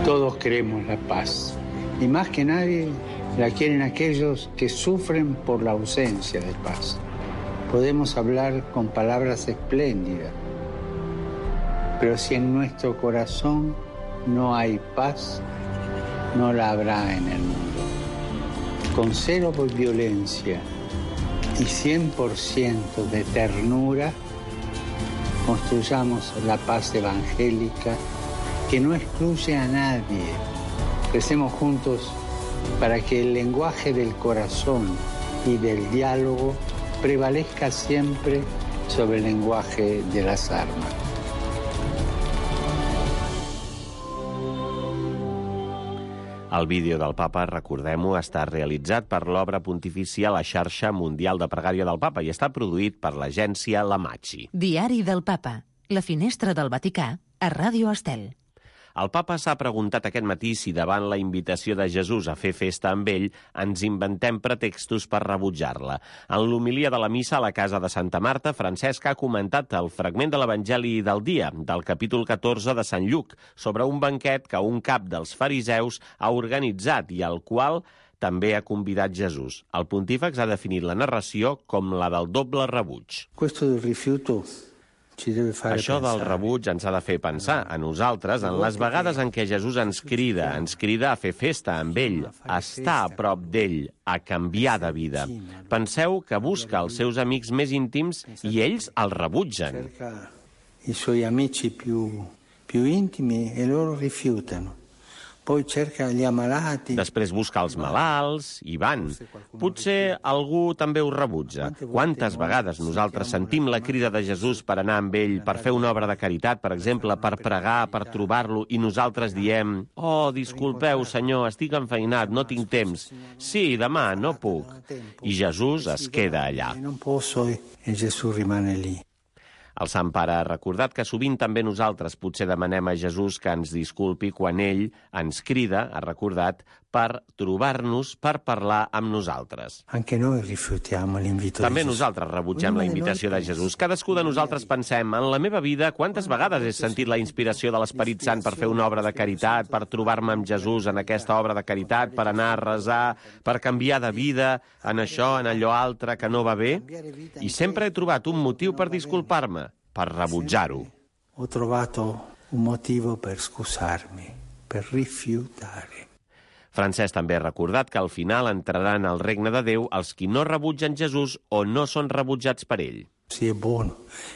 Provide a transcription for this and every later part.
Todos queremos la paz. Y más que nadie la quieren aquellos que sufren por la ausencia de paz. Podemos hablar con palabras espléndidas, pero si en nuestro corazón no hay paz, no la habrá en el mundo. Con cero violencia y 100% de ternura, construyamos la paz evangélica que no excluye a nadie. Crecemos juntos para que el lenguaje del corazón y del diálogo prevalezca siempre sobre el lenguaje de las armas. El vídeo del Papa, recordem-ho, està realitzat per l'obra pontifícia La Xarxa Mundial de Pregària del Papa i està produït per l'agència La Macchi. Diari del Papa, la finestra del Vaticà, a Ràdio Estel. El Papa s'ha preguntat aquest matí si davant la invitació de Jesús a fer festa amb ell ens inventem pretextos per rebutjar-la. En l'homilia de la missa a la casa de Santa Marta, Francesc ha comentat el fragment de l'Evangeli del dia, del capítol 14 de Sant Lluc, sobre un banquet que un cap dels fariseus ha organitzat i al qual també ha convidat Jesús. El pontífex ha definit la narració com la del doble rebuig. Questo del rifiuto Això del rebuig ens ha de fer pensar a nosaltres en les vegades en què Jesús ens crida a fer festa amb ell, a estar a prop d'ell, a canviar de vida. Penseu que busca els seus amics més íntims i ells el rebutgen. I suoi amici più intimi e loro rifiutano. Poi cerca gli ammalati. Després busca els malalts i van. Potser algú també ho rebutja. Quantes vegades nosaltres sentim la crida de Jesús per anar amb ell, per fer una obra de caritat, per exemple, per pregar, per trobar-lo, i nosaltres diem: «Oh, disculpeu, senyor, estic enfeinat, no tinc temps. Sí, demà, no puc». I Jesús es queda allà. Non posso e Gesù rimane lì. El Sant Pare ha recordat que sovint també nosaltres potser demanem a Jesús que ens disculpi quan ell ens crida, ha recordat, per trobar-nos, per parlar amb nosaltres. Anche noi rifiutiamo l'invito. També nosaltres rebutgem la invitació de Jesús. Cadascú de nosaltres pensem: en la meva vida, quantes vegades he sentit la inspiració de l'Esperit Sant per fer una obra de caritat, per trobar-me amb Jesús en aquesta obra de caritat, per anar a resar, per canviar de vida, en això, en allò altre que no va bé? I sempre he trobat un motiu per disculpar-me, per rebutjar-ho. Ho trovato un motivo per scusarmi, per rifiutare. Francesc també ha recordat que al final entraran al regne de Déu els qui no rebutgen Jesús o no són rebutjats per ell. Sí, és bon,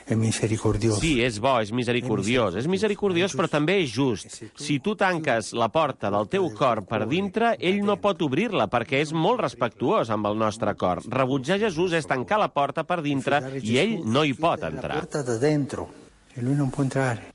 és misericordiós. Sí, és bo, és misericordiós. És misericordiós, però també és just. Si tu tanques la porta del teu cor per dintre, ell no pot obrir-la, perquè és molt respectuós amb el nostre cor. Rebutjar Jesús és tancar la porta per dintre i ell no hi pot entrar. La porta de dentro, e lui non può entrare.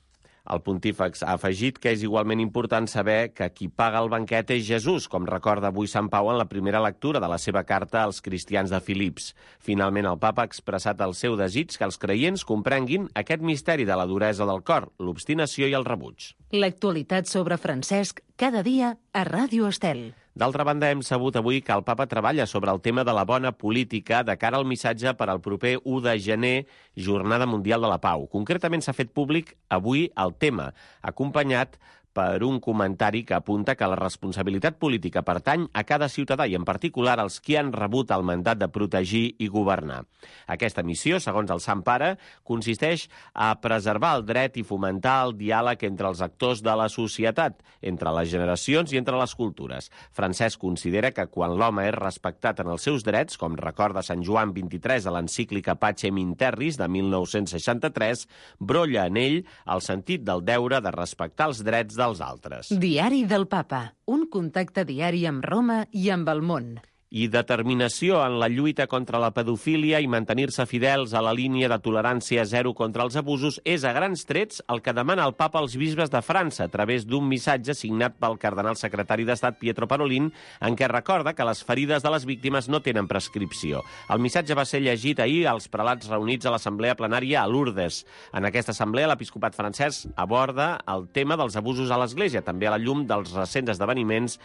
El pontífex ha afegit que és igualment important saber que qui paga el banquet és Jesús, com recorda avui Sant Pau en la primera lectura de la seva carta als cristians de Filips. Finalment, el papa ha expressat el seu desig que els creients comprenguin aquest misteri de la duresa del cor, l'obstinació i el rebuig. L'actualitat sobre Francesc, cada dia a Ràdio Estel. D'altra banda, hem sabut avui que el papa treballa sobre el tema de la bona política de cara al missatge per al proper 1 de gener, Jornada Mundial de la Pau. Concretament s'ha fet públic avui el tema, acompanyat per un comentari que apunta que la responsabilitat política pertany a cada ciutadà i en particular als qui han rebut el mandat de protegir i governar. Aquesta missió, segons el Sant Pare, consisteix a preservar el dret i fomentar el diàleg entre els actors de la societat, entre les generacions i entre les cultures. Francesc considera que quan l'home és respectat en els seus drets, com recorda Sant Joan 23 a l'encíclica Pacem in Terris de 1963, brolla en ell el sentit del deure de respectar els drets dels altres. Diari del Papa, un contacte diari amb Roma i amb el món. I determinació en la lluita contra la pedofília i mantenir-se fidels a la línia de tolerància zero contra els abusos és a grans trets el que demana el papa als bisbes de França a través d'un missatge signat pel cardenal secretari d'Estat Pietro Parolin en què recorda que les ferides de les víctimes no tenen prescripció. El missatge va ser llegit ahir als prelats reunits a l'assemblea plenària a Lourdes. En aquesta assemblea l'episcopat francès aborda el tema dels abusos a l'Església, també a la llum dels recents esdeveniments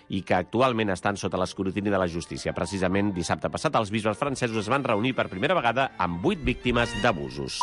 i que actualment estan sota l'escrutini de la justícia. Precisament dissabte passat els bisbes francesos es van reunir per primera vegada amb 8 víctimes d'abusos.